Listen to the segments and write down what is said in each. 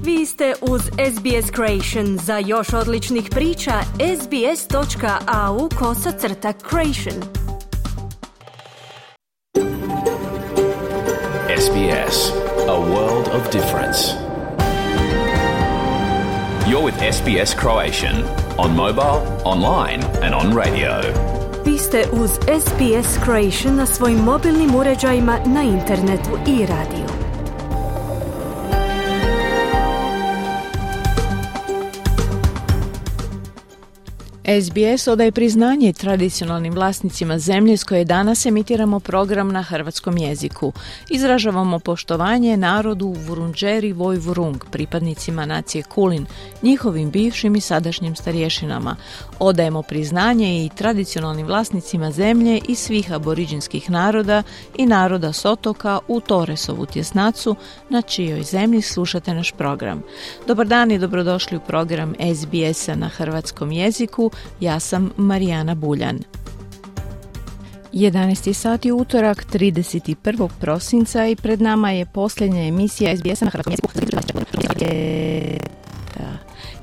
Vi ste uz SBS Creation. Za još odličnih priča, sbs.au/creation. SBS, a world of difference. You're with SBS Croatian on mobile, online and on radio. Vi ste uz SBS Creation na svojim mobilnim uređajima, na internetu i radiju. SBS odaje priznanje tradicionalnim vlasnicima zemlje s koje danas emitiramo program na hrvatskom jeziku. Izražavamo poštovanje narodu Vurundjeri Woi-wurrung, pripadnicima nacije Kulin, njihovim bivšim i sadašnjim starješinama. Odajemo priznanje i tradicionalnim vlasnicima zemlje i svih aboriđinskih naroda i naroda s otoka u Torresovu tjesnacu, na čijoj zemlji slušate naš program. Dobar dan i dobrodošli u program SBS-a na hrvatskom jeziku. Ja sam Marijana Buljan. 11. sati utorak, 31. prosinca i pred nama je posljednja emisija SBS-a na hrvatskom jeziku.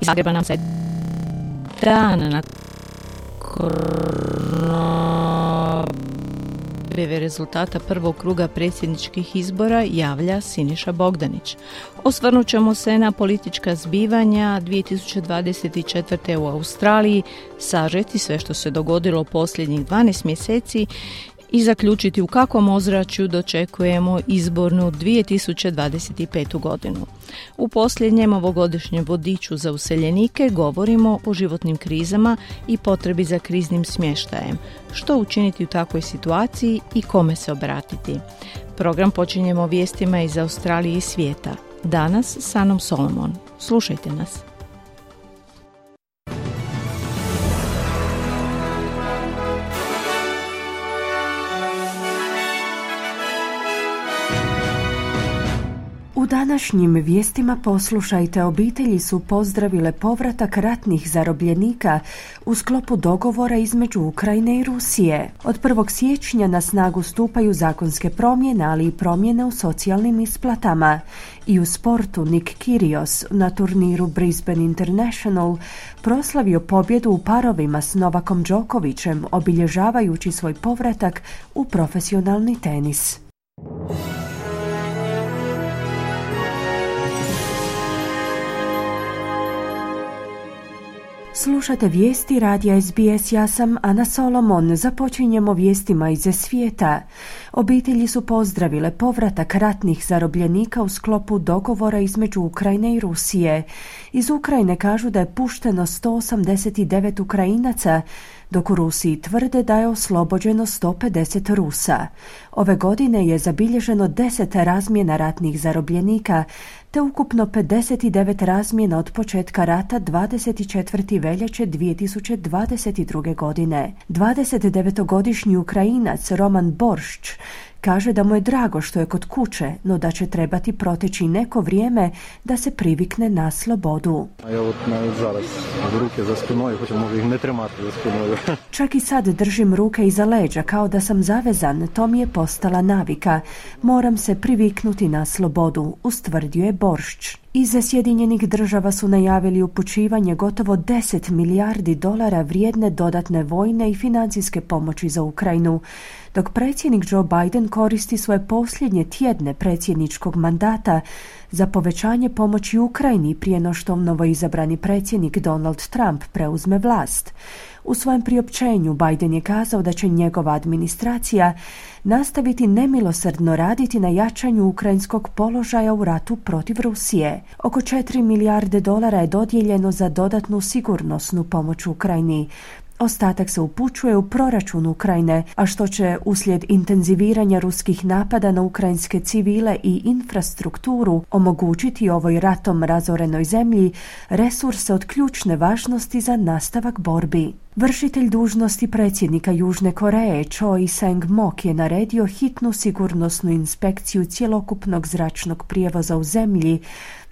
Iz Zagreba nam se dan na objave rezultata prvog kruga predsjedničkih izbora javlja Siniša Bogdanić. Osvrnut ćemo se na politička zbivanja 2024. u Australiji, sažeti sve što se dogodilo posljednjih 12 mjeseci i zaključiti u kakvom ozračju dočekujemo izbornu 2025. godinu. U posljednjem ovogodišnjem vodiču za useljenike govorimo o životnim krizama i potrebi za kriznim smještajem. Što učiniti u takvoj situaciji i kome se obratiti? Program počinjemo vijestima iz Australije i svijeta. Danas s Anom Solomon. Slušajte nas. U današnjim vijestima poslušajte, obitelji su pozdravile povratak ratnih zarobljenika u sklopu dogovora između Ukrajine i Rusije. Od 1. siječnja na snagu stupaju zakonske promjene, ali i promjene u socijalnim isplatama. I u sportu Nick Kyrgios na turniru Brisbane International proslavio pobjedu u parovima s Novakom Đokovićem, obilježavajući svoj povratak u profesionalni tenis. Slušate vijesti radija SBS, ja sam Ana Solomon. Započinjemo vijestima iz svijeta. Obitelji su pozdravile povratak ratnih zarobljenika u sklopu dogovora između Ukrajine i Rusije. Iz Ukrajine kažu da je pušteno 189 Ukrajinaca, dok u Rusiji tvrde da je oslobođeno 150 Rusa. Ove godine je zabilježeno 10 razmjena ratnih zarobljenika, te ukupno 59 razmjena od početka rata 24. veljače 2022. godine. 29-godišnji Ukrajinac Roman Boršč kaže da mu je drago što je kod kuće, no da će trebati proteći neko vrijeme da se privikne na slobodu. Čak i sad držim ruke iza leđa kao da sam zavezan, to mi je postala navika. Moram se priviknuti na slobodu, ustvrdio je Boršč. Iz Sjedinjenih Država su najavili upućivanje gotovo 10 milijardi dolara vrijedne dodatne vojne i financijske pomoći za Ukrajinu, dok predsjednik Joe Biden koristi svoje posljednje tjedne predsjedničkog mandata za povećanje pomoći Ukrajini prije no što novoizabrani predsjednik Donald Trump preuzme vlast. U svojem priopćenju Biden je kazao da će njegova administracija nastaviti nemilosrdno raditi na jačanju ukrajinskog položaja u ratu protiv Rusije. Oko 4 milijarde dolara je dodijeljeno za dodatnu sigurnosnu pomoć Ukrajini. Ostatak se upućuje u proračun Ukrajine, a što će uslijed intenziviranja ruskih napada na ukrajinske civile i infrastrukturu omogućiti ovoj ratom razorenoj zemlji resurse od ključne važnosti za nastavak borbi. Vršitelj dužnosti predsjednika Južne Koreje Choi Sang-mok je naredio hitnu sigurnosnu inspekciju cjelokupnog zračnog prijevoza u zemlji,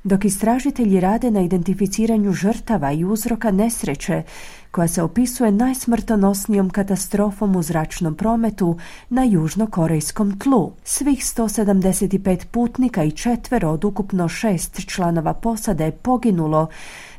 dok istražitelji rade na identificiranju žrtava i uzroka nesreće, koja se opisuje najsmrtonosnijom katastrofom u zračnom prometu na južnokorejskom tlu. Svih 175 putnika i 4 od ukupno 6 članova posade je poginulo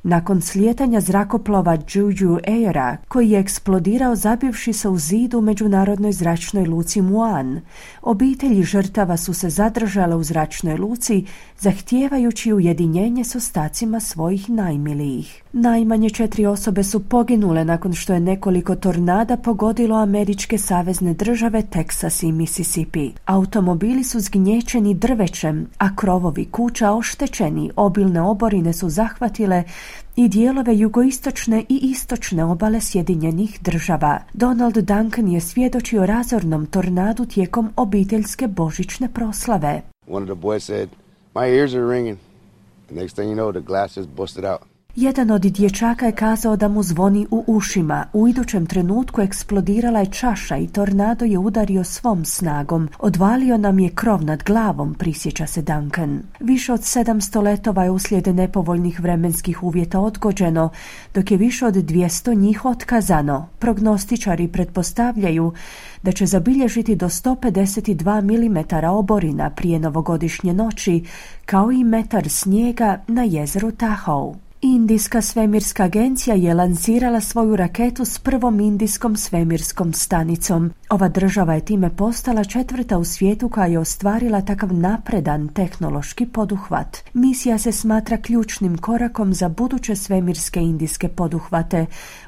nakon slijetanja zrakoplova Jeju Aira, koji je eksplodirao zabivši se u zid u međunarodnoj zračnoj luci Muan. Obitelji žrtava su se zadržale u zračnoj luci, zahtijevajući ujedinjenje s ostacima svojih najmilijih. Najmanje 4 osobe su poginule nakon što je nekoliko tornada pogodilo američke savezne države Teksas i Mississippi. Automobili su zgnječeni drvećem, a krovovi kuća oštećeni, obilne oborine su zahvatile i dijelove jugoistočne i istočne obale Sjedinjenih država. Donald Duncan je svjedočio razornom tornadu tijekom obiteljske božićne proslave. One of the boys said, "My ears are ringing." The next thing you know, the glass just busted out. Jedan od dječaka je kazao da mu zvoni u ušima. U idućem trenutku eksplodirala je čaša i tornado je udario svom snagom. Odvalio nam je krov nad glavom, prisjeća se Duncan. Više od 700 letova je uslijed nepovoljnih vremenskih uvjeta odgođeno, dok je više od 200 njih otkazano. Prognostičari pretpostavljaju da će zabilježiti do 152 mm oborina prije novogodišnje noći, kao i metar snijega na jezeru Tahoe. Indijska svemirska agencija je lansirala svoju raketu s prvom indijskom svemirskom stanicom. Ova država je time postala 4. u svijetu koja je ostvarila takav napredan tehnološki poduhvat. Misija se smatra ključnim korakom za buduće svemirske indijske poduhvate,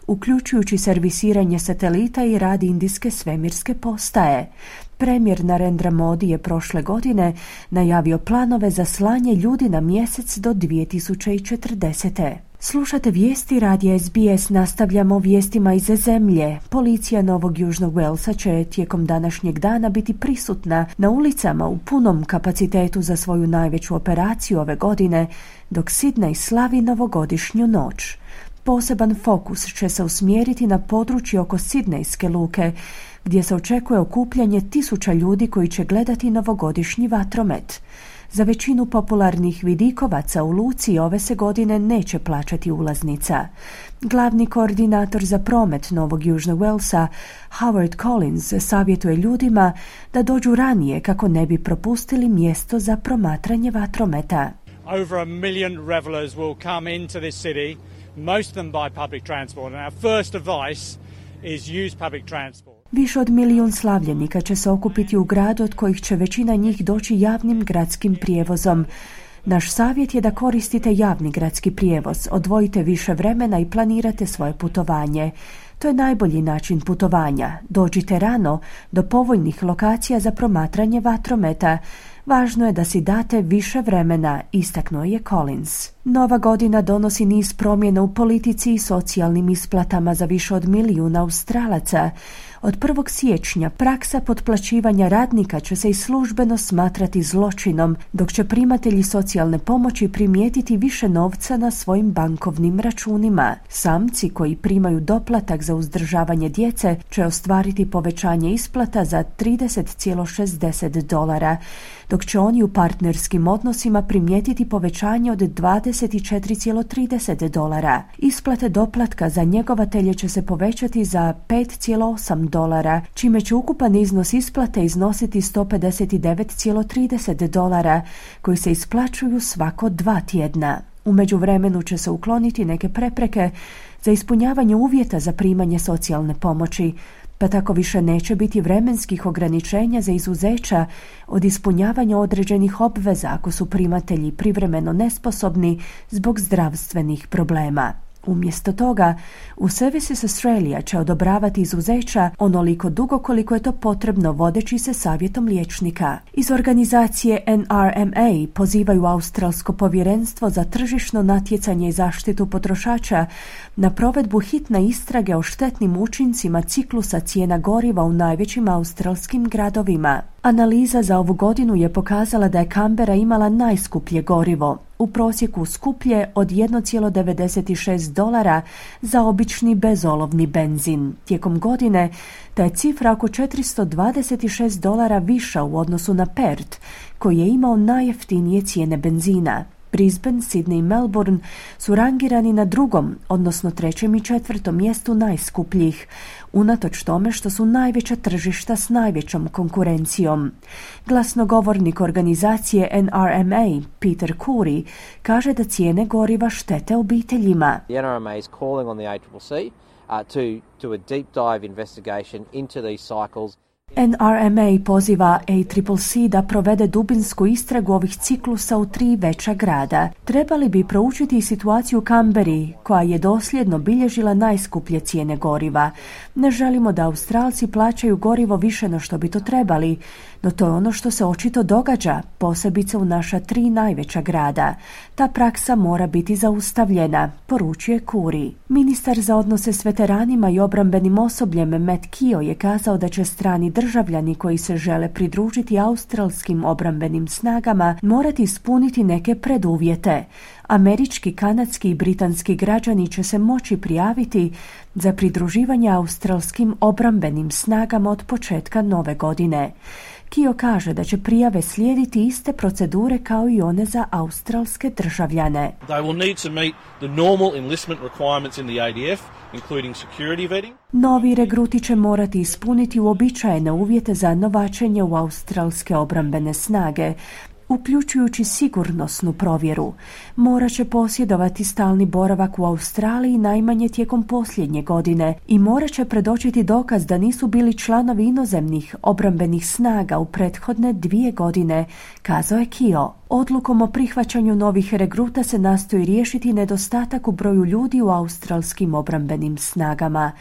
uključujući servisiranje satelita i rad indijske svemirske postaje. Premijer Narendra Modi je prošle godine najavio planove za slanje ljudi na mjesec do 2040. Slušate vijesti radija SBS, nastavljamo vijestima iz zemlje. Policija Novog Južnog Walesa će tijekom današnjeg dana biti prisutna na ulicama u punom kapacitetu za svoju najveću operaciju ove godine, dok Sydney slavi novogodišnju noć. Poseban fokus će se usmjeriti na područje oko Sidnejske luke, gdje se očekuje okupljanje 1000 ljudi koji će gledati novogodišnji vatromet. Za većinu popularnih vidikovaca u luci ove se godine neće plaćati ulaznica. Glavni koordinator za promet Novog Južnog Walesa, Howard Collins, savjetuje ljudima da dođu ranije kako ne bi propustili mjesto za promatranje vatrometa. Over 1 million revelers will come into this city, most of them by public transport, and our first advice is use public transport. Više od 1 milijun slavljenika će se okupiti u gradu, od kojih će većina njih doći javnim gradskim prijevozom. Naš savjet je da koristite javni gradski prijevoz, odvojite više vremena i planirate svoje putovanje. To je najbolji način putovanja. Dođite rano do povoljnih lokacija za promatranje vatrometa. Važno je da si date više vremena, istaknuo je Collins. Nova godina donosi niz promjena u politici i socijalnim isplatama za više od 1 milijun Australaca. Od 1. siječnja praksa potplaćivanja radnika će se i službeno smatrati zločinom, dok će primatelji socijalne pomoći primijetiti više novca na svojim bankovnim računima. Samci koji primaju doplatak za uzdržavanje djece će ostvariti povećanje isplata za $30,60, dok će oni u partnerskim odnosima primijetiti povećanje od $24,30. Isplate doplatka za njegovatelje će se povećati za $5,8, čime će ukupan iznos isplate iznositi $159,30, koji se isplaćuju svako 2 tjedna. U međuvremenu će se ukloniti neke prepreke za ispunjavanje uvjeta za primanje socijalne pomoći, pa tako više neće biti vremenskih ograničenja za izuzeća od ispunjavanja određenih obveza ako su primatelji privremeno nesposobni zbog zdravstvenih problema. Umjesto toga, u Services Australia će odobravati izuzeća onoliko dugo koliko je to potrebno vodeći se savjetom liječnika. Iz organizacije NRMA pozivaju Australsko povjerenstvo za tržišno natjecanje i zaštitu potrošača na provedbu hitne istrage o štetnim učincima ciklusa cijena goriva u najvećim australskim gradovima. Analiza za ovu godinu je pokazala da je Canberra imala najskuplje gorivo, u prosjeku skuplje od $1,96 za obični bezolovni benzin. Tijekom godine ta je cifra oko $426 viša u odnosu na Perth, koji je imao najjeftinije cijene benzina. Brisbane, Sydney i Melbourne su rangirani na drugom, odnosno trećem i četvrtom mjestu najskupljih, unatoč tome što su najveća tržišta s najvećom konkurencijom. Glasnogovornik organizacije NRMA, Peter Coorey, kaže da cijene goriva štete obiteljima. The NRMA is calling on the ACCC to do a deep dive investigation into these cycles. NRMA poziva ACCC da provede dubinsku istragu ovih ciklusa u 3 veća grada. Trebali bi proučiti situaciju u Canberri, koja je dosljedno bilježila najskuplje cijene goriva. Ne želimo da Australci plaćaju gorivo više no što bi to trebali, no to je ono što se očito događa, posebice u naša 3 najveća grada. Ta praksa mora biti zaustavljena, poručuje Coorey. Ministar za odnose s veteranima i obrambenim osobljem Matt Keogh je kazao da će strani državljani koji se žele pridružiti australskim obrambenim snagama morati ispuniti neke preduvjete. Američki, kanadski i britanski građani će se moći prijaviti za pridruživanje australskim obrambenim snagama od početka nove godine. Keogh kaže da će prijave slijediti iste procedure kao i one za australske državljane. They will need to meet the normal enlistment requirements in the ADF, including security vetting. Novi regruti će morati ispuniti uobičajene uvjete za novačenje u australske obrambene snage, uključujući sigurnosnu provjeru. Morat će posjedovati stalni boravak u Australiji najmanje tijekom posljednje godine i morat će predočiti dokaz da nisu bili članovi inozemnih obrambenih snaga u prethodne 2 godine, kazao je Keogh. Odlukom o prihvaćanju novih regruta se nastoji riješiti nedostatak u broju ljudi u australskim obrambenim snagama.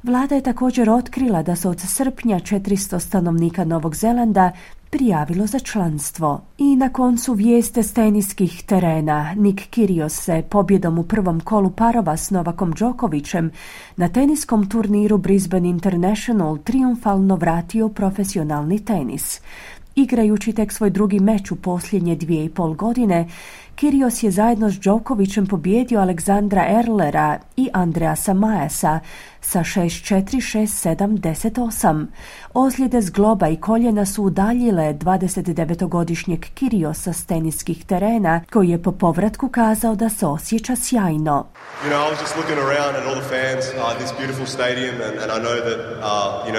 Vlada je također otkrila da se od srpnja 400 stanovnika Novog Zelanda prijavilo za članstvo. I na koncu vijeste s teniskih terena. Nick Kyrgios se pobjedom u prvom kolu parova s Novakom Đokovićem na teniskom turniru Brisbane International triumfalno vratio profesionalni tenis. Igrajući tek svoj drugi meč u posljednje 2,5 godine, Kyrgios je zajedno s Đokovićem pobijedio Aleksandra Erlera i Andreasa Maesa sa 6-4, 6-7, 10-8. Ozljede zgloba i koljena su udaljile 29-godišnjeg Kyrgiosa s teniskih terena, koji je po povratku kazao da se osjeća sjajno. You know, I was just looking around at all the fans, this beautiful stadium, and I know that,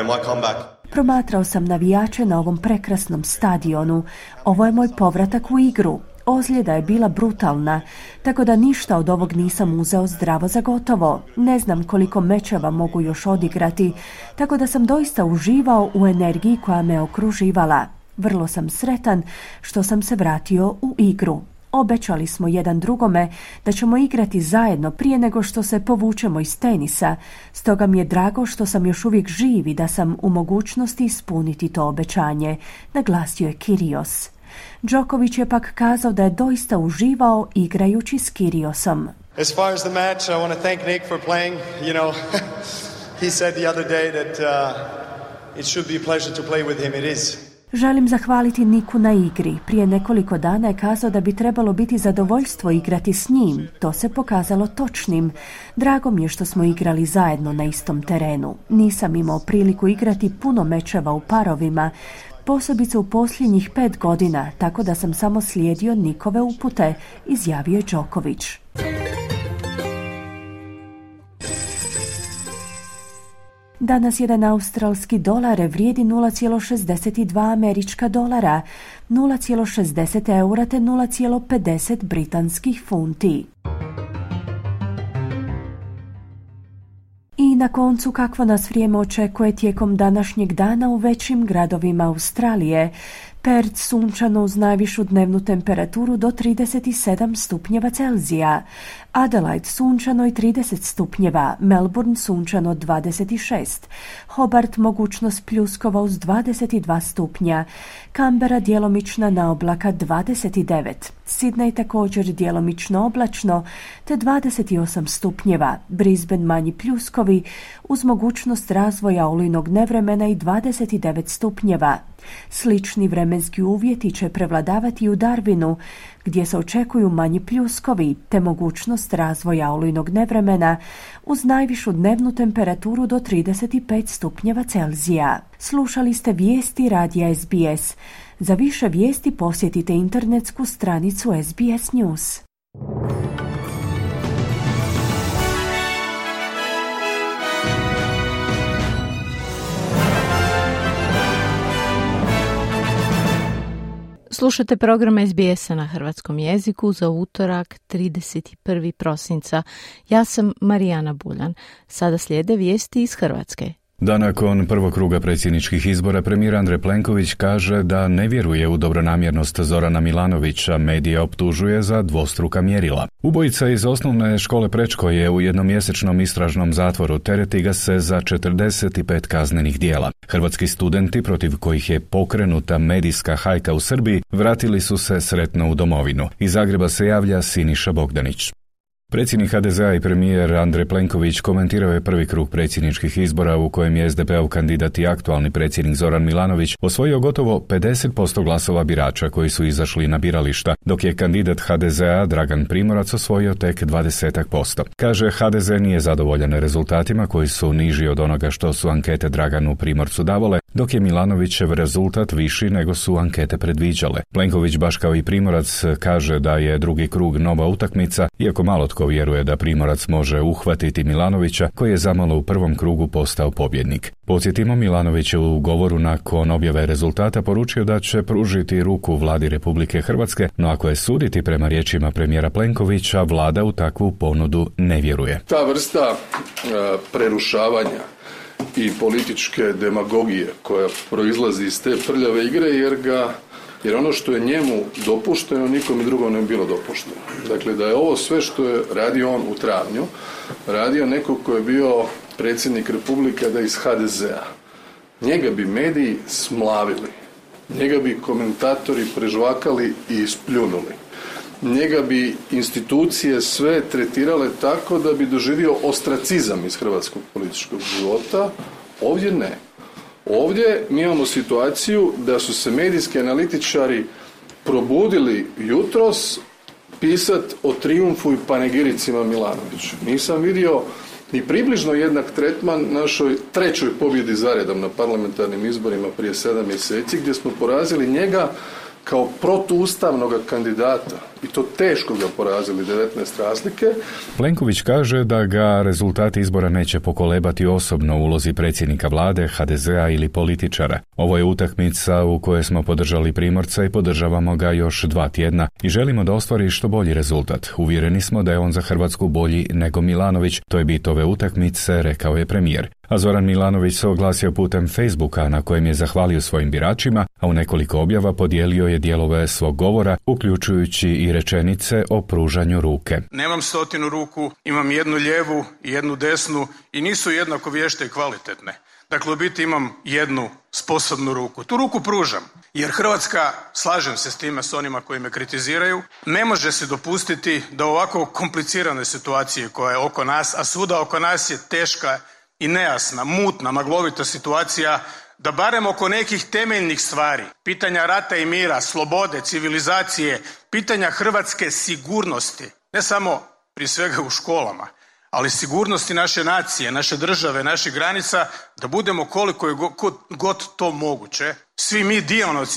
my comeback. Promatrao sam navijače na ovom prekrasnom stadionu. Ovo je moj povratak u igru. Ozljeda je bila brutalna, tako da ništa od ovog nisam uzeo zdravo za gotovo. Ne znam koliko mečeva mogu još odigrati, tako da sam doista uživao u energiji koja me okruživala. Vrlo sam sretan što sam se vratio u igru. Obećali smo jedan drugome da ćemo igrati zajedno prije nego što se povučemo iz tenisa, stoga mi je drago što sam još uvijek živ i da sam u mogućnosti ispuniti to obećanje, naglasio je Kyrgios. Đoković je pak kazao da je doista uživao igrajući s Kyrgiosom. As far as the match, I want to thank Nick for playing. He said the other day that it should be a pleasure to play with him. It is. Želim zahvaliti Niku na igri. Prije nekoliko dana je kazao da bi trebalo biti zadovoljstvo igrati s njim. To se pokazalo točnim. Drago mi je što smo igrali zajedno na istom terenu. Nisam imao priliku igrati puno mečeva u parovima, posebice u posljednjih 5 godina, tako da sam samo slijedio Nikove upute, izjavio je Đoković. Danas jedan australski dolar vrijedi 0,62 američka dolara, 0,60 eura te 0,50 britanskih funti. I na koncu kakvo nas vrijeme očekuje tijekom današnjeg dana u većim gradovima Australije. Perth sunčano uz najvišu dnevnu temperaturu do 37 stupnjeva Celzija. Adelaide sunčano i 30 stupnjeva. Melbourne sunčano 26. Hobart mogućnost pljuskova uz 22 stupnja. Canberra djelomična naoblaka 29. Sydney također djelomično oblačno, te 28 stupnjeva, Brisbane manji pljuskovi uz mogućnost razvoja olujnog nevremena i 29 stupnjeva. Slični vremenski uvjeti će prevladavati u Darwinu, gdje se očekuju manji pljuskovi te mogućnost razvoja olujnog nevremena uz najvišu dnevnu temperaturu do 35 stupnjeva Celzija. Slušali ste vijesti radija SBS. Za više vijesti posjetite internetsku stranicu SBS News. Slušate program SBS-a na hrvatskom jeziku za utorak 31. prosinca. Ja sam Marijana Buljan. Sada slijede vijesti iz Hrvatske. Da nakon prvog kruga predsjedničkih izbora premijer Andrej Plenković kaže da ne vjeruje u dobronamjernost Zorana Milanovića, medije optužuje za dvostruka mjerila. Ubojica iz osnovne škole Prečko je u jednomjesečnom istražnom zatvoru, tereti ga se za 45 kaznenih djela. Hrvatski studenti protiv kojih je pokrenuta medijska hajka u Srbiji vratili su se sretno u domovinu. Iz Zagreba se javlja Siniša Bogdanić. Predsjednik HDZ-a i premijer Andrej Plenković komentirao je prvi krug predsjedničkih izbora u kojem je SDP-ov kandidat i aktualni predsjednik Zoran Milanović osvojio gotovo 50% glasova birača koji su izašli na birališta, dok je kandidat HDZ-a Dragan Primorac osvojio tek 20%. Kaže, HDZ nije zadovoljan rezultatima koji su niži od onoga što su ankete Draganu Primorcu davale, dok je Milanovićev rezultat viši nego su ankete predviđale. Plenković, baš kao i Primorac, kaže da je drugi krug nova utakmica, iako malo tko vjeruje da Primorac može uhvatiti Milanovića, koji je zamalo u prvom krugu postao pobjednik. Podsjetimo, Milanović je u govoru nakon objave rezultata poručio da će pružiti ruku vladi Republike Hrvatske, no ako je suditi prema riječima premijera Plenkovića, vlada u takvu ponudu ne vjeruje. Ta vrsta prerušavanja i političke demagogije koja proizlazi iz te prljave igre, jer ono što je njemu dopušteno, nikom drugom ne bi bilo dopušteno. Dakle, da je ovo sve što je radio on u travnju, radio neko ko je bio predsjednik Republike, da iz HDZ-a. Njega bi mediji smlavili, njega bi komentatori prežvakali i ispljunuli. Njega bi institucije sve tretirale tako da bi doživio ostracizam iz hrvatskog političkog života. Ovdje ne. Ovdje mi imamo situaciju da su se medijski analitičari probudili jutros pisati o trijumfu i panegiricima Milanoviću. Nisam vidio ni približno jednak tretman našoj trećoj pobjedi zaredom na parlamentarnim izborima prije 7 mjeseci, gdje smo porazili njega kao protuustavnog kandidata, i to teško ga porazili, 19 razlike. Plenković kaže da ga rezultati izbora neće pokolebati osobno u ulozi predsjednika vlade, HDZ-a ili političara. Ovo je utakmica u kojoj smo podržali Primorca i podržavamo ga još 2 tjedna i želimo da ostvari što bolji rezultat. Uvjereni smo da je on za Hrvatsku bolji nego Milanović, to je bit ove utakmice, rekao je premijer. A Zoran Milanović se oglasio putem Facebooka na kojem je zahvalio svojim biračima, a u nekoliko objava podijelio je dijelove svog govora, uključujući i rečenice o pružanju ruke. Nemam 100 ruku, imam jednu lijevu i jednu desnu i nisu jednako vješte i kvalitetne. Dakle, u biti imam jednu sposobnu ruku. Tu ruku pružam, jer Hrvatska, slažem se s time s onima koji me kritiziraju, ne može se dopustiti da ovako komplicirane situacije koja je oko nas, a svuda oko nas je teška i nejasna, mutna, maglovita situacija, da barem oko nekih temeljnih stvari, pitanja rata i mira, slobode, civilizacije, pitanja hrvatske sigurnosti, ne samo prije svega u školama, ali sigurnosti naše nacije, naše države, naših granica, da budemo koliko je god to moguće, svi mi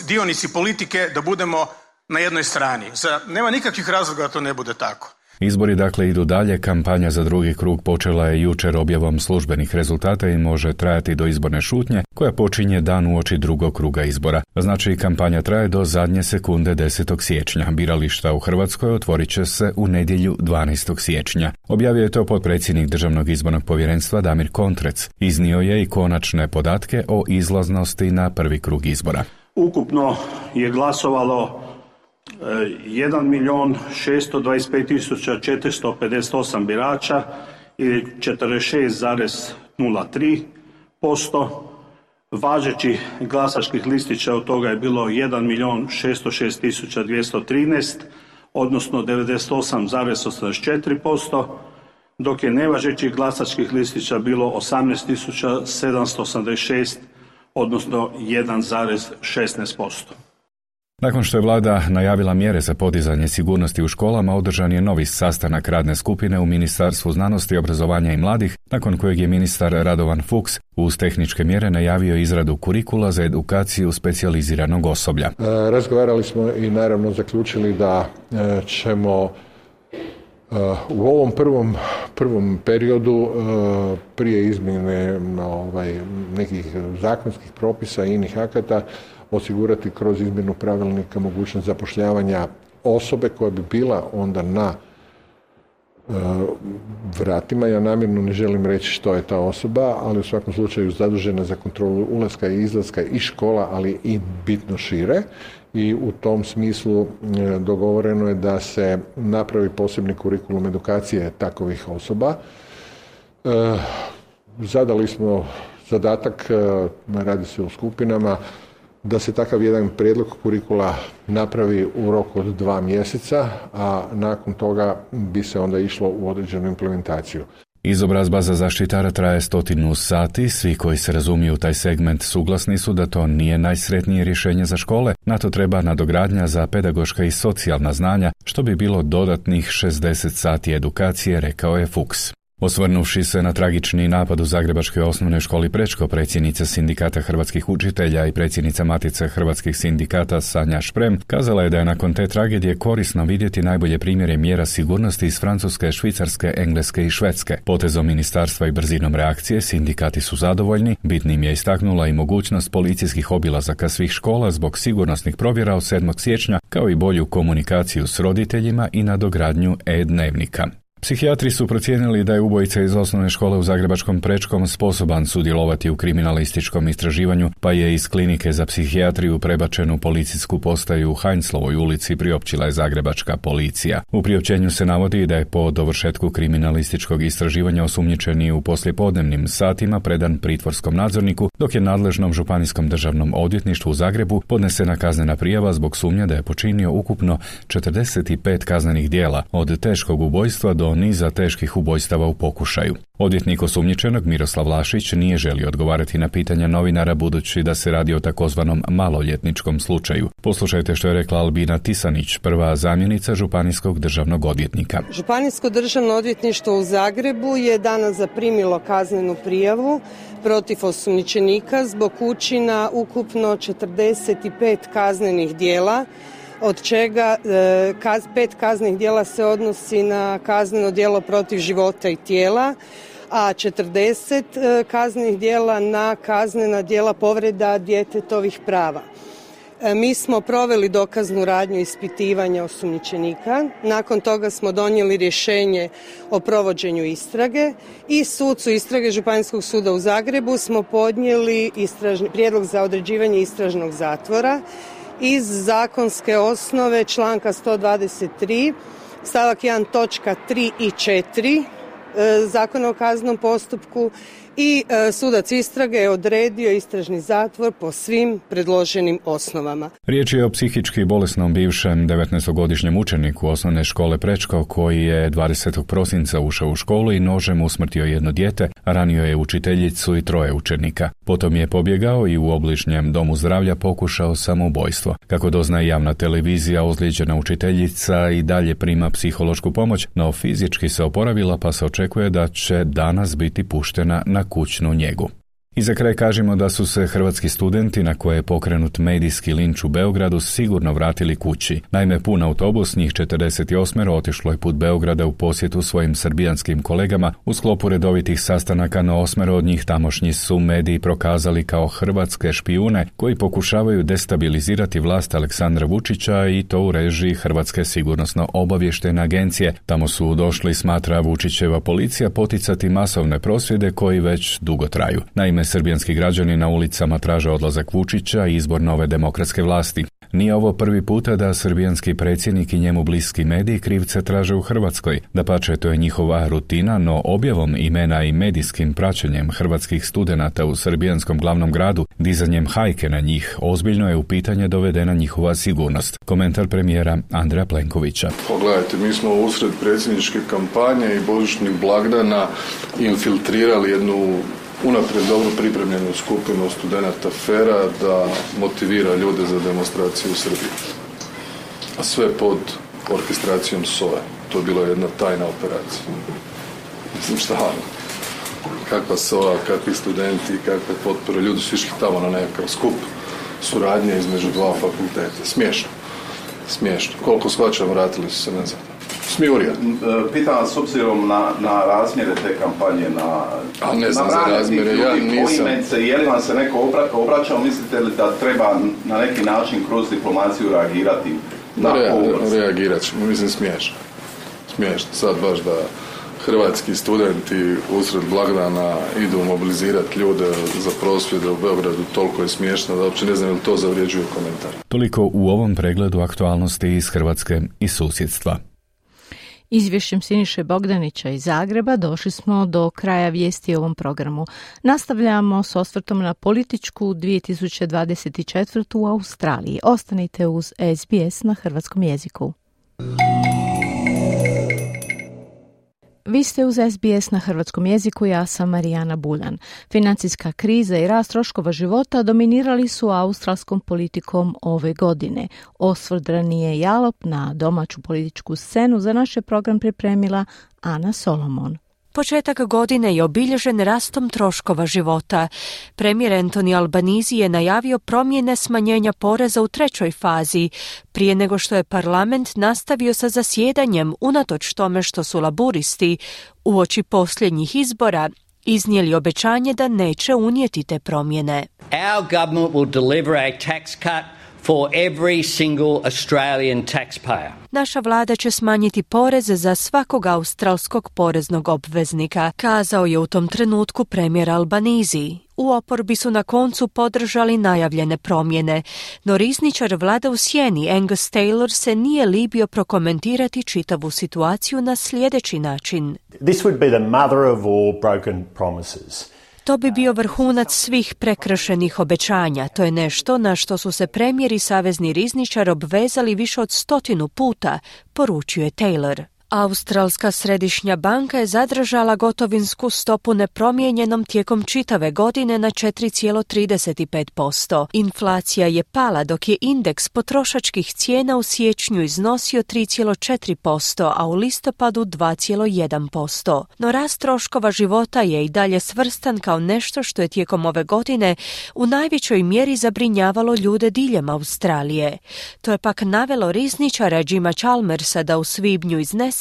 dionici politike, da budemo na jednoj strani. Nema nikakvih razloga da to ne bude tako. Izbori dakle idu dalje, kampanja za drugi krug počela je jučer objavom službenih rezultata i može trajati do izborne šutnje koja počinje dan uoči drugog kruga izbora. Znači, kampanja traje do zadnje sekunde 10. siječnja. Birališta u Hrvatskoj otvorit će se u nedjelju 12. siječnja. Objavio je to potpredsjednik Državnog izbornog povjerenstva Damir Kontrec. Iznio je i konačne podatke o izlaznosti na prvi krug izbora. Ukupno je glasovalo 1.625.458 birača ili 46,03%. Važećih glasačkih listića od toga je bilo 1.606.213, odnosno 98,84%, dok je nevažećih glasačkih listića bilo 18.786, odnosno 1,16%. Nakon što je vlada najavila mjere za podizanje sigurnosti u školama, održan je novi sastanak radne skupine u Ministarstvu znanosti, obrazovanja i mladih, nakon kojeg je ministar Radovan Fuchs uz tehničke mjere najavio izradu kurikula za edukaciju specijaliziranog osoblja. Razgovarali smo i naravno zaključili da ćemo u ovom prvom periodu prije izmjene nekih zakonskih propisa i inih akata osigurati kroz izmjenu pravilnika mogućnost zapošljavanja osobe koja bi bila onda na vratima. Ja namjerno ne želim reći što je ta osoba, ali u svakom slučaju zadužena za kontrolu ulaska i izlaska i škola, ali i bitno šire. I u tom smislu dogovoreno je da se napravi posebni kurikulum edukacije takovih osoba. Zadali smo zadatak, radi se o skupinama, da se takav jedan prijedlog kurikula napravi u roku od 2 mjeseca, a nakon toga bi se onda išlo u određenu implementaciju. Izobrazba za zaštitara traje 100 sati, svi koji se razumiju u taj segment suglasni su da to nije najsretnije rješenje za škole, na to treba nadogradnja za pedagoška i socijalna znanja, što bi bilo dodatnih 60 sati edukacije, rekao je Fuchs. Osvrnuvši se na tragični napad u Zagrebačkoj osnovnoj školi Prečko, predsjednica Sindikata hrvatskih učitelja i predsjednica Matice hrvatskih sindikata Sanja Šprem kazala je da je nakon te tragedije korisno vidjeti najbolje primjere mjera sigurnosti iz Francuske, Švicarske, Engleske i Švedske. Potezom ministarstva i brzinom reakcije sindikati su zadovoljni, bitnim je istaknula i mogućnost policijskih obilazaka svih škola zbog sigurnosnih provjera od 7. siječnja, kao i bolju komunikaciju s roditeljima i nadogradnju e-dnevnika. Psihijatri su procijenili da je ubojica iz osnovne škole u Zagrebačkom Prečkom sposoban sudjelovati u kriminalističkom istraživanju, pa je iz klinike za psihijatriju prebačen u policijsku postaju u Heinzlovoj ulici, priopćila je zagrebačka policija. U priopćenju se navodi da je po dovršetku kriminalističkog istraživanja osumnjičeni u poslijepodnevnim satima predan pritvorskom nadzorniku, dok je nadležnom županijskom državnom odvjetništvu u Zagrebu podnesena kaznena prijava zbog sumnje da je počinio ukupno 45 kaznenih djela, od teškog ubojstva do niza teških ubojstava u pokušaju. Odvjetnik osumnjičenog Miroslav Lašić nije želio odgovarati na pitanja novinara budući da se radi o takozvanom maloljetničkom slučaju. Poslušajte što je rekla Albina Tisanić, prva zamjenica županijskog državnog odvjetnika. Županijsko državno odvjetništvo u Zagrebu je danas zaprimilo kaznenu prijavu protiv osumnjičenika zbog učina ukupno 45 kaznenih djela, od čega 5 kaznenih djela se odnosi na kazneno djelo protiv života i tijela, a 40 kaznenih djela na kaznena djela povreda djetetovih prava. Mi smo proveli dokaznu radnju ispitivanja osumnjičenika, nakon toga smo donijeli rješenje o provođenju istrage i sucu istrage Županijskog suda u Zagrebu smo podnijeli prijedlog za određivanje istražnog zatvora iz zakonske osnove članka 123 stavak 1 točka 3 i 4 Zakona o kaznenom postupku i sudac istrage je odredio istražni zatvor po svim predloženim osnovama. Riječ je o psihički bolesnom bivšem 19-godišnjem učeniku osnovne škole Prečko koji je 20. prosinca ušao u školu i nožem usmrtio jedno dijete, ranio je učiteljicu i 3 učenika. Potom je pobjegao i u obližnjem domu zdravlja pokušao samoubojstvo. Kako doznaje javna televizija, ozlijeđena učiteljica i dalje prima psihološku pomoć, no fizički se oporavila pa se očekuje da će danas biti puštena na kućnu njegu. I za kraj kažemo da su se hrvatski studenti na koje je pokrenut medijski linč u Beogradu sigurno vratili kući. Naime, pun autobus, njih 48 otišlo je put Beograda u posjetu svojim srbijanskim kolegama u sklopu redovitih sastanaka, no 8 od njih tamošnji su mediji prokazali kao hrvatske špijune koji pokušavaju destabilizirati vlast Aleksandra Vučića i to u režiji Hrvatske sigurnosno-obavještajne agencije. Tamo su došli, smatra Vučićeva policija, poticati masovne prosvjede koji već dugo traju. Naime, srbijanski građani na ulicama traže odlazak Vučića i izbor nove demokratske vlasti. Nije ovo prvi puta da srbijanski predsjednik i njemu bliski mediji krivce traže u Hrvatskoj. Dapače, to je njihova rutina, no objavom imena i medijskim praćenjem hrvatskih studenata u srbijanskom glavnom gradu, dizanjem hajke na njih, ozbiljno je u pitanje dovedena njihova sigurnost. Komentar premijera Andreja Plenkovića. Pogledajte, mi smo usred predsjedničke kampanje i božićnih blagdana infiltrirali jednu unaprijed dobro pripremljenu skupinu studenata FER-a da motivira ljude za demonstraciju u Srbiji. A sve pod orkestracijom SOA. To je bila jedna tajna operacija. Mislim šta, kakva SOA, kakvi studenti, kakve potpore. Ljudi su išli tamo na nekakav skup suradnje između dva fakulteta. Smiješno. Smiješno. Koliko shvaćam, vratili su se nazad. Smijurija. Pitam vas, s obzirom na razmjere te kampanje, ne znam za razmjere, ja nisam. Je li vam se neko obraćao, mislite li da treba na neki način kroz diplomaciju reagirati? Reagirat ćemo, mislim smiješno. Smiješno, sad baš da hrvatski studenti usred blagdana idu mobilizirati ljude za prosvjede u Beogradu, toliko je smiješno da uopće ne znam ili to zavrijeđuje komentar. Toliko u ovom pregledu aktualnosti iz Hrvatske i susjedstva. Izvješćem Siniše Bogdanića iz Zagreba došli smo do kraja vijesti u ovom programu. Nastavljamo s osvrtom na političku 2024. u Australiji. Ostanite uz SBS na hrvatskom jeziku. Vi ste uz SBS na hrvatskom jeziku, ja sam Marijana Buljan. Financijska kriza i rast troškova života dominirali su australskom politikom ove godine. Osvrt ranije jalop na domaću političku scenu za naš program pripremila Ana Solomon. Početak godine je obilježen rastom troškova života. Premijer Anthony Albanese je najavio promjene smanjenja poreza u trećoj fazi, prije nego što je parlament nastavio sa zasjedanjem unatoč tome što su laburisti uoči posljednjih izbora iznijeli obećanje da neće unijeti te promjene. Our government will deliver a tax cut for every single Australian taxpayer. Naša vlada će smanjiti poreze za svakog australskog poreznog obveznika, kazao je u tom trenutku premijer Albanese. U oporbi su na koncu podržali najavljene promjene, no rizničar vlada u sjeni Angus Taylor se nije libio prokomentirati čitavu situaciju na sljedeći način. This would be the mother of all broken promises. To bi bio vrhunac svih prekršenih obećanja. To je nešto na što su se premijer i savezni rizničar obvezali više od 100 puta, poručio je Taylor. Australska središnja banka je zadržala gotovinsku stopu nepromijenjenom tijekom čitave godine na 4,35%. Inflacija je pala dok je indeks potrošačkih cijena u siječnju iznosio 3,4%, a u listopadu 2,1%. No rast troškova života je i dalje svrstan kao nešto što je tijekom ove godine u najvećoj mjeri zabrinjavalo ljude diljem Australije. To je pak navelo rizničara Jima Chalmersa da u svibnju iznese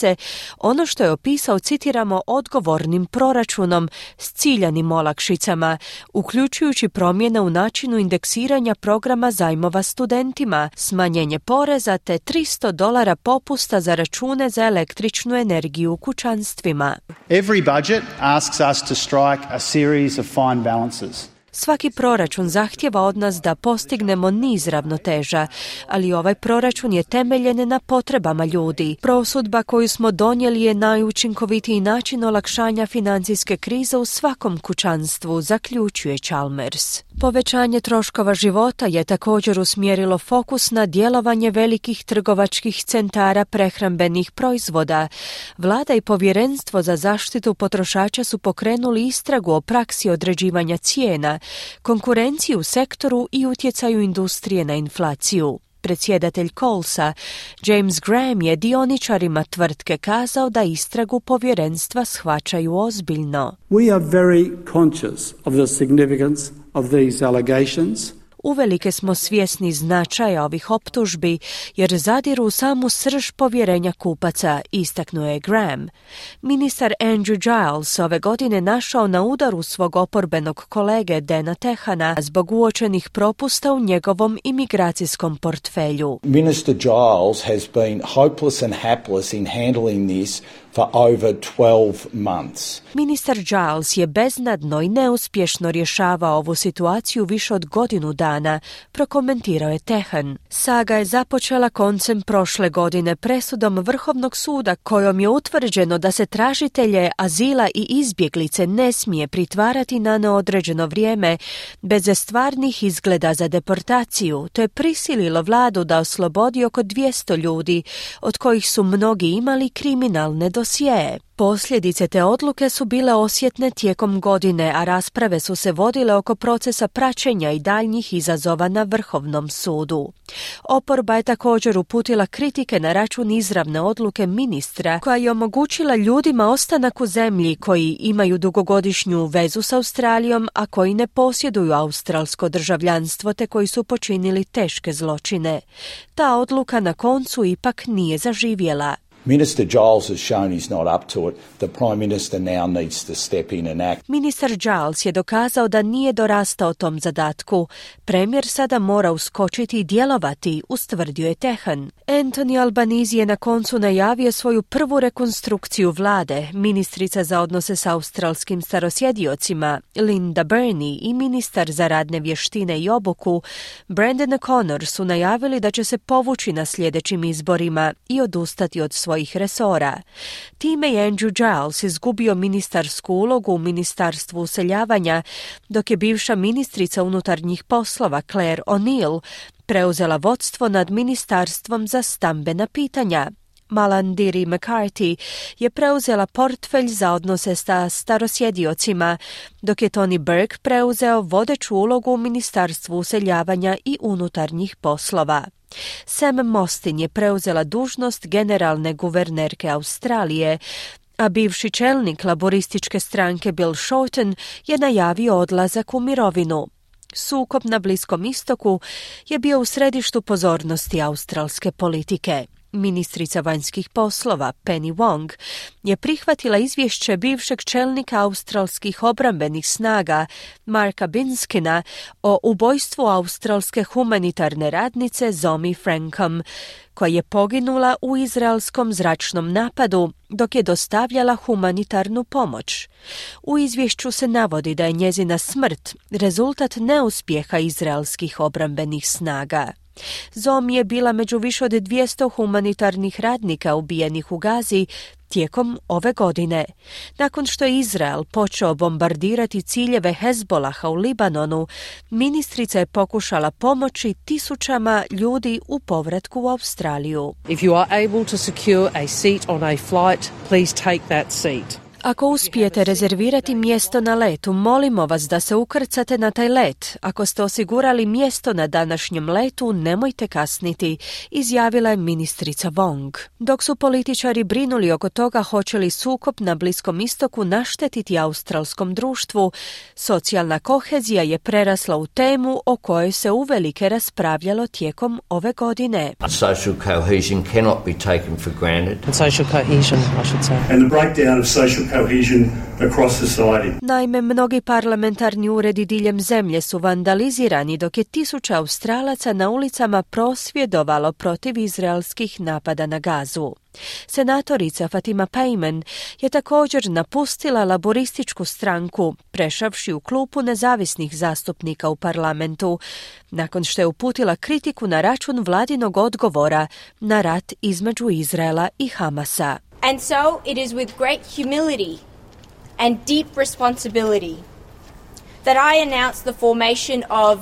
ono što je opisao, citiramo, odgovornim proračunom s ciljanim olakšicama, uključujući promjene u načinu indeksiranja programa zajmova studentima, smanjenje poreza te $300 popusta za račune za električnu energiju u kućanstvima. Every budget asks us to strike a series of fine balances. Svaki proračun zahtjeva od nas da postignemo niz ravnoteža, ali ovaj proračun je temeljen na potrebama ljudi. Prosudba koju smo donijeli je najučinkovitiji način olakšanja financijske krize u svakom kućanstvu, zaključuje Chalmers. Povećanje troškova života je također usmjerilo fokus na djelovanje velikih trgovačkih centara prehrambenih proizvoda. Vlada i Povjerenstvo za zaštitu potrošača su pokrenuli istragu o praksi određivanja cijena, konkurenciju u sektoru i utjecaju industrije na inflaciju. Predsjedatelj Colesa, James Graham, je dioničarima tvrtke kazao da istragu povjerenstva shvaćaju ozbiljno. We are very conscious of the significance of these allegations. Uvelike smo svjesni značaja ovih optužbi jer zadiru u samu srž povjerenja kupaca, istaknuo je Graham. Ministar Andrew Giles ove godine našao na udaru svog oporbenog kolege Dana Tehana zbog uočenih propusta u njegovom imigracijskom portfelju. Minister Giles has been hopeless and hapless in handling this for over 12 months. Ministar Giles je beznadno i neuspješno rješavao ovu situaciju više od godinu dana. dana, prokomentirao je Tehan. Saga je započela koncem prošle godine presudom Vrhovnog suda kojom je utvrđeno da se tražitelje azila i izbjeglice ne smije pritvarati na neodređeno vrijeme bez stvarnih izgleda za deportaciju, to je prisililo vladu da oslobodi oko 200 ljudi, od kojih su mnogi imali kriminalne dosjeje. Posljedice te odluke su bile osjetne tijekom godine, a rasprave su se vodile oko procesa praćenja i daljnjih izazova na Vrhovnom sudu. Oporba je također uputila kritike na račun izravne odluke ministra koja je omogućila ljudima ostanak u zemlji koji imaju dugogodišnju vezu s Australijom, a koji ne posjeduju australsko državljanstvo te koji su počinili teške zločine. Ta odluka na koncu ipak nije zaživjela. Minister Giles has shown he's not up to it. The Prime Minister now needs to step in and act. Ministar Giles je dokazao da nije dorastao tom zadatku. Premijer sada mora uskočiti i djelovati, ustvrdio je Tehan. Anthony Albanese je na koncu najavio svoju prvu rekonstrukciju vlade. Ministrica za odnose s australskim starosjediocima Linda Burney i ministar za radne vještine i obuku Brendan O'Connor su najavili da će se povući na sljedećim izborima i odustati od svojih resora. Time je Andrew Giles izgubio ministarsku ulogu u Ministarstvu useljavanja, dok je bivša ministrica unutarnjih poslova Claire O'Neill preuzela vodstvo nad Ministarstvom za stambena pitanja. Malandiri McCarthy je preuzela portfelj za odnose sa starosjediocima, dok je Tony Burke preuzeo vodeću ulogu u Ministarstvu useljavanja i unutarnjih poslova. Sam Mostyn je preuzela dužnost generalne guvernerke Australije, a bivši čelnik laborističke stranke Bill Shorten je najavio odlazak u mirovinu. Sukob na Bliskom istoku je bio u središtu pozornosti australske politike. Ministrica vanjskih poslova Penny Wong je prihvatila izvješće bivšeg čelnika australskih obrambenih snaga Marka Binskina o ubojstvu australske humanitarne radnice Zoe Frankom, koja je poginula u izraelskom zračnom napadu dok je dostavljala humanitarnu pomoć. U izvješću se navodi da je njezina smrt rezultat neuspjeha izraelskih obrambenih snaga. Zoe je bila među više od 200 humanitarnih radnika ubijenih u Gazi tijekom ove godine. Nakon što je Izrael počeo bombardirati ciljeve Hezbolaha u Libanonu, ministrica je pokušala pomoći tisućama ljudi u povratku u Australiju. If you are able to secure a seat on a flight, please take that seat. Ako uspijete rezervirati mjesto na letu, molimo vas da se ukrcate na taj let. Ako ste osigurali mjesto na današnjem letu, nemojte kasniti, izjavila je ministrica Wong. Dok su političari brinuli oko toga hoće li sukob na Bliskom istoku naštetiti australskom društvu, socijalna kohezija je prerasla u temu o kojoj se uvelike raspravljalo tijekom ove godine. Social cohesion cannot be taken for granted. And social cohesion, I should say. And the breakdown of social cohesion across society. Naime, mnogi parlamentarni uredi diljem zemlje su vandalizirani dok je tisuća Australaca na ulicama prosvjedovalo protiv izraelskih napada na Gazu. Senatorica Fatima Payman je također napustila laborističku stranku, prešavši u klupu nezavisnih zastupnika u parlamentu, nakon što je uputila kritiku na račun vladinog odgovora na rat između Izraela i Hamasa. And so it is with great humility and deep responsibility that I announce the formation of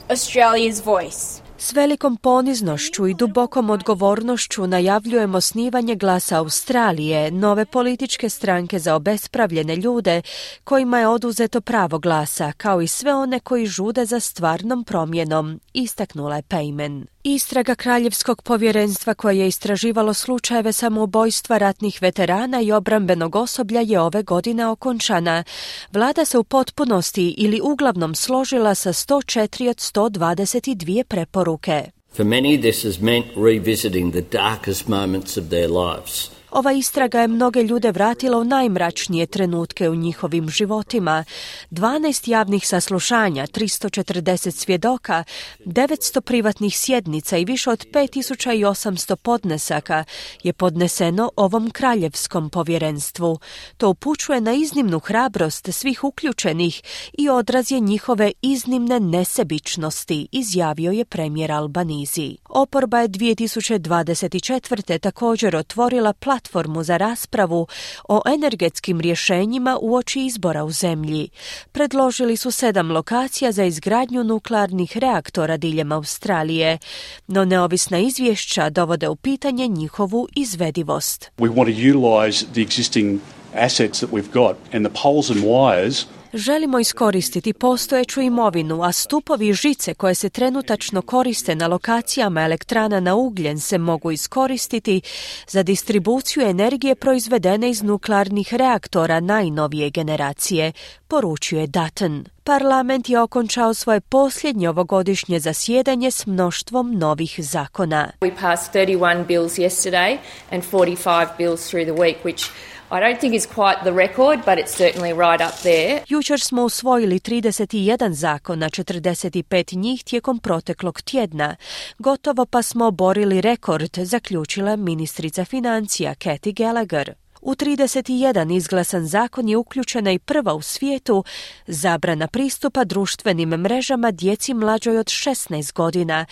Australia's Voice. S velikom poniznošću i dubokom odgovornošću najavljujemo osnivanje Glasa Australije, nove političke stranke za obespravljene ljude kojima je oduzeto pravo glasa, kao i sve one koji žude za stvarnom promjenom, istaknula je Payman. Istraga Kraljevskog povjerenstva koje je istraživalo slučajeve samoubojstva ratnih veterana i obrambenog osoblja je ove godine okončana. Vlada se u potpunosti ili uglavnom složila sa 104 od 122 preporuke. For many, this has meant revisiting the darkest moments of their lives. Ova istraga je mnoge ljude vratila u najmračnije trenutke u njihovim životima. 12 javnih saslušanja, 340 svjedoka, 900 privatnih sjednica i više od 5800 podnesaka je podneseno ovom kraljevskom povjerenstvu. To upućuje na iznimnu hrabrost svih uključenih i odraz je njihove iznimne nesebičnosti, izjavio je premijer Albanizi. Oporba je 2024. također otvorila platformu za raspravu o energetskim rješenjima uoči izbora u zemlji. Predložili su 7 lokacija za izgradnju nuklearnih reaktora diljem Australije, no neovisna izvješća dovode u pitanje njihovu izvedivost. We want to utilise the existing assets that we've got and the poles and wires. Želimo iskoristiti postojeću imovinu, a stupovi i žice koje se trenutačno koriste na lokacijama elektrana na ugljen se mogu iskoristiti za distribuciju energije proizvedene iz nuklearnih reaktora najnovije generacije, poručuje Dutton. Parlament je okončao svoje posljednje ovogodišnje zasjedanje s mnoštvom novih zakona. We passed 31 bills yesterday and 45 bills through the week, which I don't think is quite the record, but it's certainly right up there. Jučer smo usvojili 31 zakona, 45 njih tijekom proteklog tjedna. Gotovo pa smo oborili rekord, zaključila ministrica financija Kathy Gallagher. U 31 izglasan zakon je uključena i prva u svijetu zabrana pristupa društvenim mrežama djeci mlađoj od 16 godina,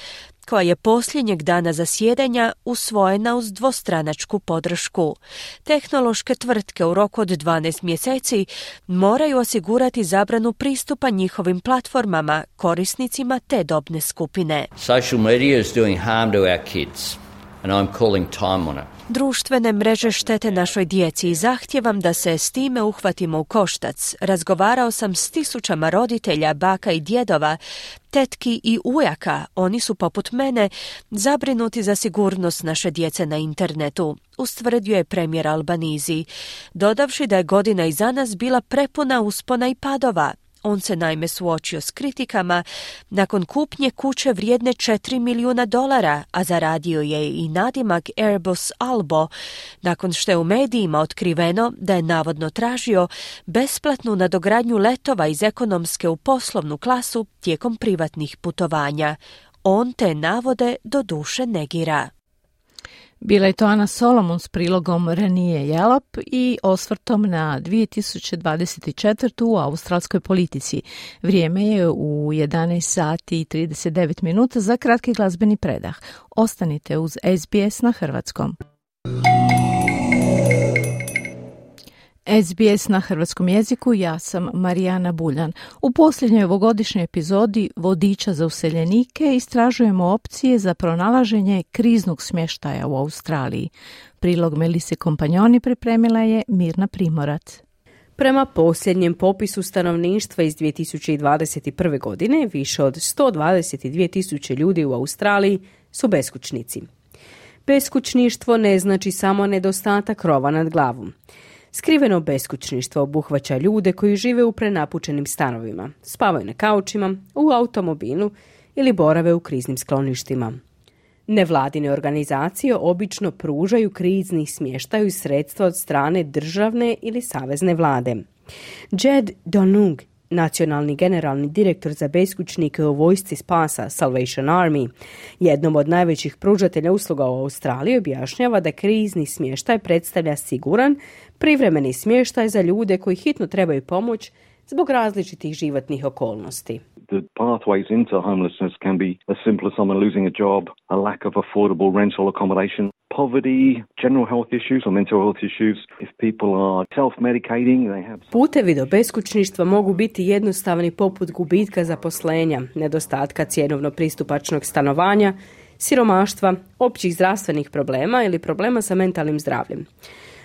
koja je posljednjeg dana zasjedanja usvojena uz dvostranačku podršku. Tehnološke tvrtke u roku od 12 mjeseci moraju osigurati zabranu pristupa njihovim platformama, korisnicima te dobne skupine. Social media is doing harm to our kids, and I'm calling time on it. Društvene mreže štete našoj djeci i zahtijevam da se s time uhvatimo u koštac. Razgovarao sam s tisućama roditelja, baka i djedova, tetki i ujaka. Oni su poput mene zabrinuti za sigurnost naše djece na internetu, ustvrdio je premijer Albanizi, dodavši da je godina iza nas bila prepuna uspona i padova. On se naime suočio s kritikama nakon kupnje kuće vrijedne $4 milijuna, a zaradio je i nadimak Airbus Albo, nakon što je u medijima otkriveno da je navodno tražio besplatnu nadogradnju letova iz ekonomske u poslovnu klasu tijekom privatnih putovanja. On te navode doduše negira. Bila je to Ana Solomon s prilogom Ranije Jalop i osvrtom na 2024. u australskoj politici. Vrijeme je u 11 sati i 39 minuta za kratki glazbeni predah. Ostanite uz SBS na hrvatskom. SBS na hrvatskom jeziku, ja sam Marijana Buljan. U posljednjoj ovogodišnjoj epizodi Vodiča za useljenike istražujemo opcije za pronalaženje kriznog smještaja u Australiji. Prilog Melise Kompanjoni pripremila je Mirna Primorac. Prema posljednjem popisu stanovništva iz 2021. godine, više od 122.000 ljudi u Australiji su beskućnici. Beskućništvo ne znači samo nedostatak krova nad glavom. Skriveno beskućništvo obuhvaća ljude koji žive u prenapučenim stanovima, spavaju na kaučima, u automobilu ili borave u kriznim skloništima. Nevladine organizacije obično pružaju krizni smještaj i sredstva od strane državne ili savezne vlade. Jed Donung, nacionalni generalni direktor za beskućnike u vojsci spasa Salvation Army, jednom od najvećih pružatelja usluga u Australiji, objašnjava da krizni smještaj predstavlja siguran, privremeni smještaj za ljude koji hitno trebaju pomoć zbog različitih životnih okolnosti. The pathways into homelessness can be as simple as someone losing a job, a lack of affordable rental accommodation, poverty, general health issues or mental health issues. If people are self-medicating, they have... Putevi do beskućništva mogu biti jednostavni poput gubitka zaposlenja, nedostatka cjenovno pristupačnog stanovanja, siromaštva, općih zdravstvenih problema ili problema sa mentalnim zdravljem.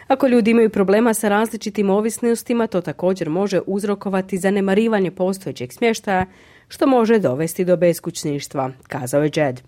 Ako ljudi imaju problema sa različitim ovisnostima, to također može uzrokovati zanemarivanje postojećeg smještaja, što može dovesti do beskućništva, kazao je Jed.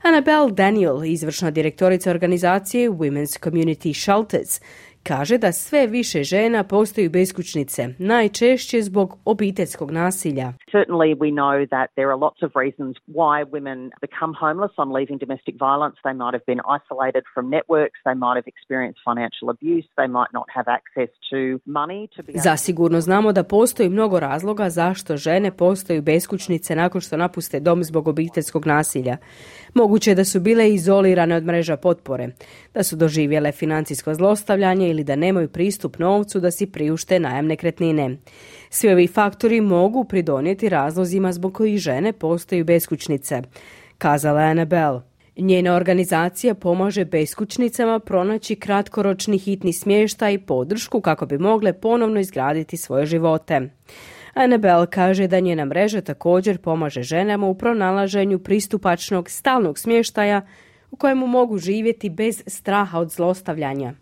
Annabelle Daniel, izvršna direktorica organizacije Women's Community Shelters, kaže da sve više žena postaju beskućnice, najčešće zbog obiteljskog nasilja. Certainly we know that there are lots of reasons why women become homeless on leaving domestic violence. They might have been isolated from networks, they might have experienced financial abuse, they might not have access to money to be... Zasigurno znamo da postoji mnogo razloga zašto žene postaju beskućnice nakon što napuste dom zbog obiteljskog nasilja. Moguće je da su bile izolirane od mreža potpore, da su doživjele financijsko zlostavljanje ili da nemaju pristup novcu da si priušte najam nekretnine. Svi ovi faktori mogu pridonijeti razlozima zbog kojih žene postaju beskućnice, kazala je Annabelle. Njena organizacija pomaže beskućnicama pronaći kratkoročni hitni smještaj i podršku kako bi mogle ponovno izgraditi svoje živote. Annabelle kaže da njena mreža također pomaže ženama u pronalaženju pristupačnog stalnog smještaja u kojemu mogu živjeti bez straha od zlostavljanja.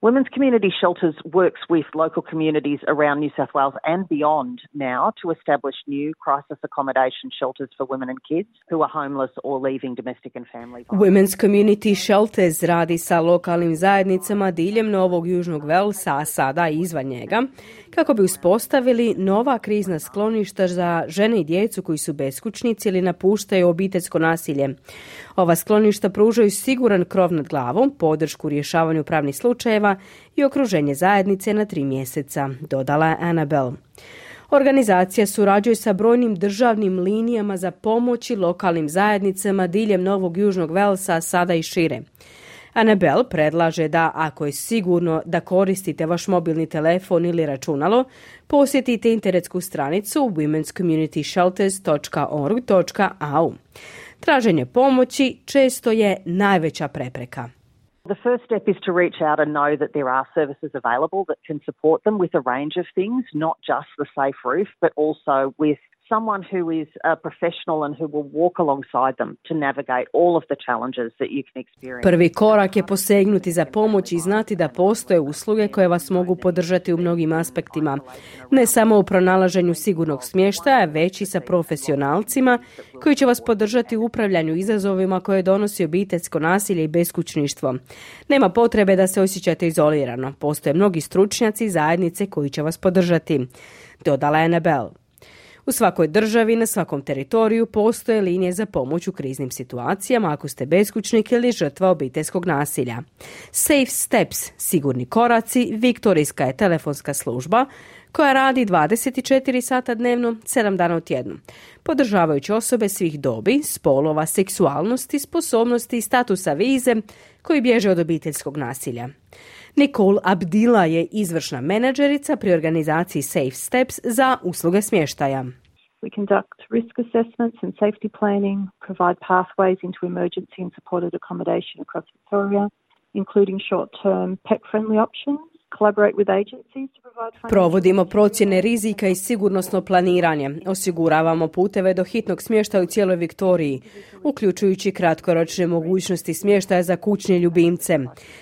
Women's Community Shelters works with local communities around New South Wales and beyond now to establish new crisis accommodation shelters for women and kids who are homeless or leaving domestic and family violence. Women's Community Shelters radi sa lokalnim zajednicama diljem Novog Južnog Velsa, a sada i izvan njega, kako bi uspostavili nova krizna skloništa za žene i djecu koji su beskućnici ili napuštaju obiteljsko nasilje. Ova skloništa pružaju siguran krov nad glavom, podršku u rješavanju pravnih slučajeva i okruženje zajednice na 3 mjeseca, dodala je Annabelle. Organizacija surađuje sa brojnim državnim linijama za pomoć i lokalnim zajednicama diljem Novog Južnog Velsa, sada i šire. Annabelle predlaže da, ako je sigurno da koristite vaš mobilni telefon ili računalo, posjetite internetsku stranicu womenscommunityshelters.org.au. Traženje pomoći često je najveća prepreka. The first step is to reach out and know that there are services available that can support them with a range of things, not just the safe roof, but also with someone who is a professional and who will walk alongside them to navigate all of the challenges that you can experience. Prvi korak je posegnuti za pomoć i znati da postoje usluge koje vas mogu podržati u mnogim aspektima. Ne samo u pronalaženju sigurnog smještaja, već i sa profesionalcima koji će vas podržati u upravljanju izazovima koje donosi obiteljsko nasilje i beskućništvo. Nema potrebe da se osjećate izolirano. Postoje mnogi stručnjaci i zajednice koji će vas podržati, dodala je Annabelle. U svakoj državi, na svakom teritoriju postoje linije za pomoć u kriznim situacijama ako ste beskućnik ili žrtva obiteljskog nasilja. Safe Steps, sigurni koraci, viktorijska je telefonska služba koja radi 24 sata dnevno, 7 dana u tjednu, podržavajući osobe svih dobi, spolova, seksualnosti, sposobnosti i statusa vize koji bježe od obiteljskog nasilja. Nicole Abdila je izvršna menadžerica pri organizaciji Safe Steps za usluge smještaja. We conduct risk assessments and safety planning, provide pathways into emergency and supported accommodation across Victoria, including short-term pet-friendly options. Provodimo procjene rizika i sigurnosno planiranje. Osiguravamo puteve do hitnog smještaja u cijeloj Viktoriji, uključujući kratkoročne mogućnosti smještaja za kućne ljubimce.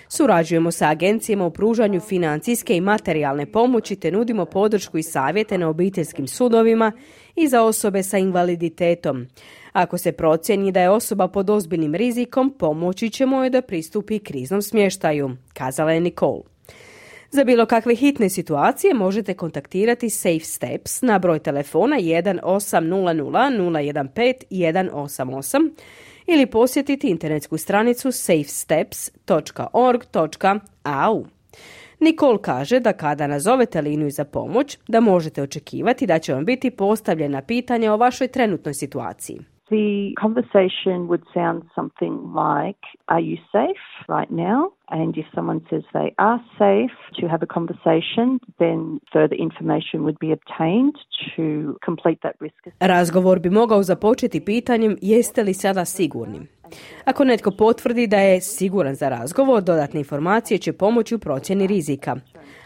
Surađujemo sa agencijama u pružanju financijske i materijalne pomoći te nudimo podršku i savjete na obiteljskim sudovima i za osobe sa invaliditetom. Ako se procijeni da je osoba pod ozbiljnim rizikom, pomoći ćemo joj da pristupi kriznom smještaju, kazala je Nicole. Za bilo kakve hitne situacije možete kontaktirati Safe Steps na broj telefona 1800 015 188 ili posjetiti internetsku stranicu safesteps.org.au. Nicole kaže da kada nazovete liniju za pomoć, da možete očekivati da će vam biti postavljena pitanja o vašoj trenutnoj situaciji. The conversation would sound something like, are you safe right now? And if someone says they are safe to have a conversation, then further information would be obtained to complete that risk assessment. Razgovor bi mogao započeti pitanjem jeste li sada sigurni. Ako netko potvrdi da je siguran za razgovor, dodatne informacije će pomoći u procjeni rizika.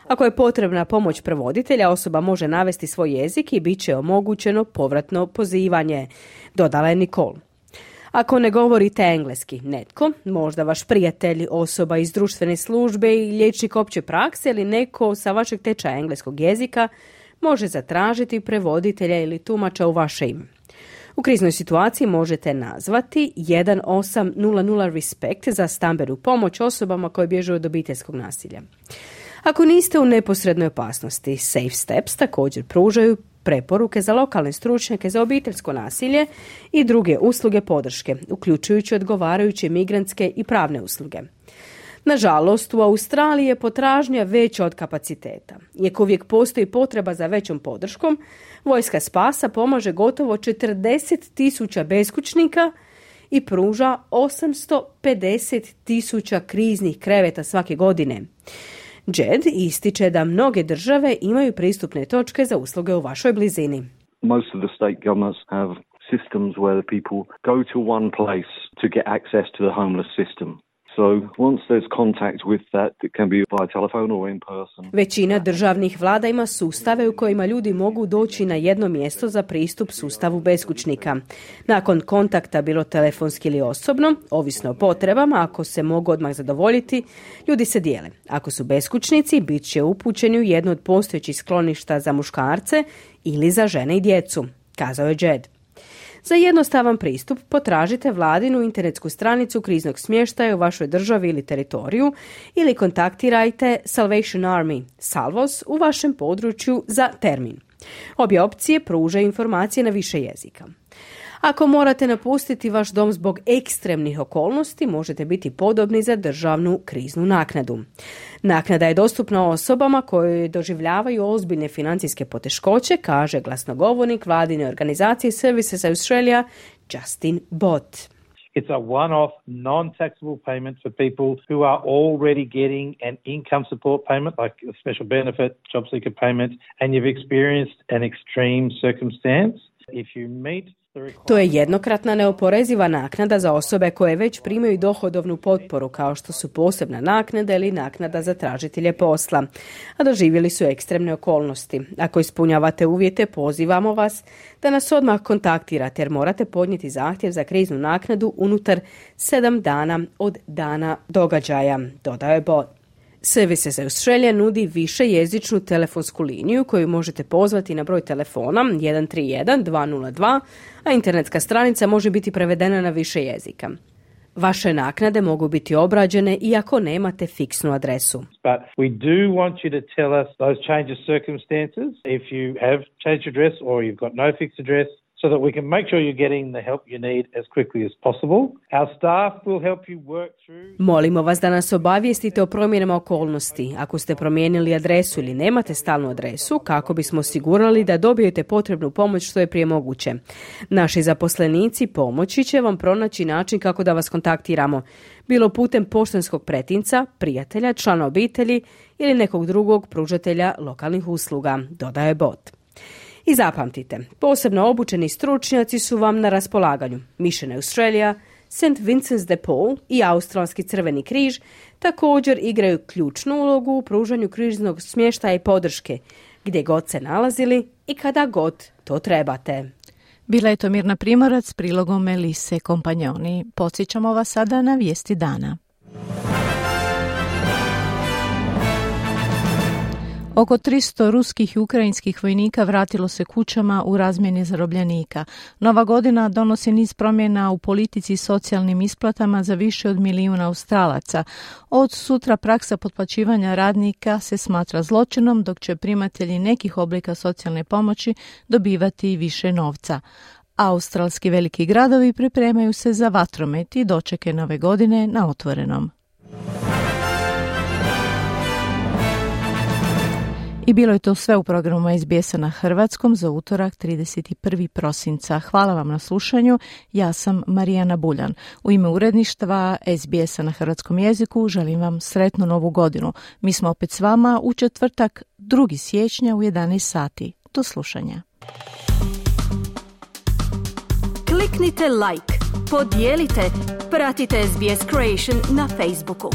Ako je potrebna pomoć prevoditelja, osoba može navesti svoj jezik i bit će omogućeno povratno pozivanje, dodala je Nicole. Ako ne govorite engleski, netko, možda vaš prijatelj, osoba iz društvene službe i liječnik opće prakse ili neko sa vašeg tečaja engleskog jezika, može zatražiti prevoditelja ili tumača u vaše ime. U kriznoj situaciji možete nazvati 1800 RESPECT za stambenu pomoć osobama koje bježe od obiteljskog nasilja. Ako niste u neposrednoj opasnosti, Safe Steps također pružaju preporuke za lokalne stručnjake za obiteljsko nasilje i druge usluge podrške, uključujući odgovarajuće migrantske i pravne usluge. Nažalost, u Australiji je potražnja veća od kapaciteta. Iako uvijek postoji potreba za većom podrškom, Vojska spasa pomaže gotovo 40,000 beskućnika i pruža 850,000 kriznih kreveta svake godine. Jed ističe da mnoge države imaju pristupne točke za usluge u vašoj blizini. Most of the state governments have systems where the people go to one place to get access to the homeless system. So once there's contact with that, it can be by telephone or in person. Većina državnih vlada ima sustave u kojima ljudi mogu doći na jedno mjesto za pristup sustavu beskućnika. Nakon kontakta, bilo telefonski ili osobno, ovisno o potrebama, ako se mogu odmah zadovoljiti, ljudi se dijele. Ako su beskućnici, bit će upućeni u jedno od postojećih skloništa za muškarce ili za žene i djecu, kazao je Jed. Za jednostavan pristup potražite vladinu internetsku stranicu kriznog smještaja u vašoj državi ili teritoriju ili kontaktirajte Salvation Army, Salvos, u vašem području za termin. Obje opcije pružaju informacije na više jezika. Ako morate napustiti vaš dom zbog ekstremnih okolnosti, možete biti podobni za državnu kriznu naknadu. Naknada je dostupna osobama koje doživljavaju ozbiljne financijske poteškoće, kaže glasnogovornik vladine organizacije Services Australia Justin Bott. It's a one-off, non-taxable payment for people who are already getting an income support payment, like a special benefit, job seeker payment, and you've experienced an extreme circumstance. If you meet To je jednokratna neoporeziva naknada za osobe koje već primaju dohodovnu potporu, kao što su posebna naknada ili naknada za tražitelje posla, a doživjeli su ekstremne okolnosti. Ako ispunjavate uvjete, pozivamo vas da nas odmah kontaktirate jer morate podnijeti zahtjev za kriznu naknadu unutar 7 dana od dana događaja, dodao je Bott. Services Australia nudi višejezičnu telefonsku liniju koju možete pozvati na broj telefona 131 202, a internetska stranica može biti prevedena na više jezika. Vaše naknade mogu biti obrađene iako nemate fiksnu adresu. But we do want you to tell us those change of circumstances. If you have changed address or you've got no fixed address, so that we can make sure you're getting the help you need as quickly as possible. Our staff will help you work through. Molimo vas da nas obavijestite o promjenama okolnosti. Ako ste promijenili adresu ili nemate stalnu adresu, kako bismo osigurali da dobijete potrebnu pomoć što je prije moguće. Naši zaposlenici pomoći će vam pronaći način kako da vas kontaktiramo, bilo putem poštanskog pretinca, prijatelja, člana obitelji ili nekog drugog pružatelja lokalnih usluga, dodaje Bott. I zapamtite, posebno obučeni stručnjaci su vam na raspolaganju. Mission Australia, St. Vincent's de Paul i Australski crveni križ također igraju ključnu ulogu u pružanju kriznog smještaja i podrške, gdje god se nalazili i kada god to trebate. Bila je to Mirna Primorac s prilogom Melise Kompanjoni. Podsjećamo vas sada na vijesti dana. Oko 300 ruskih i ukrajinskih vojnika vratilo se kućama u razmjeni zarobljenika. Nova godina donosi niz promjena u politici i socijalnim isplatama za više od 1 milijun Australaca. Od sutra praksa potplaćivanja radnika se smatra zločinom, dok će primatelji nekih oblika socijalne pomoći dobivati više novca. Australski veliki gradovi pripremaju se za vatromet i dočeke nove godine na otvorenom. I bilo je to sve u programu SBS-a na hrvatskom za utorak 31. prosinca. Hvala vam na slušanju. Ja sam Marijana Buljan. U ime uredništva SBS-a na hrvatskom jeziku želim vam sretnu novu godinu. Mi smo opet s vama u četvrtak 2. siječnja u 11 sati. Do slušanja. Kliknite like, podijelite, pratite SBS Creation na Facebooku.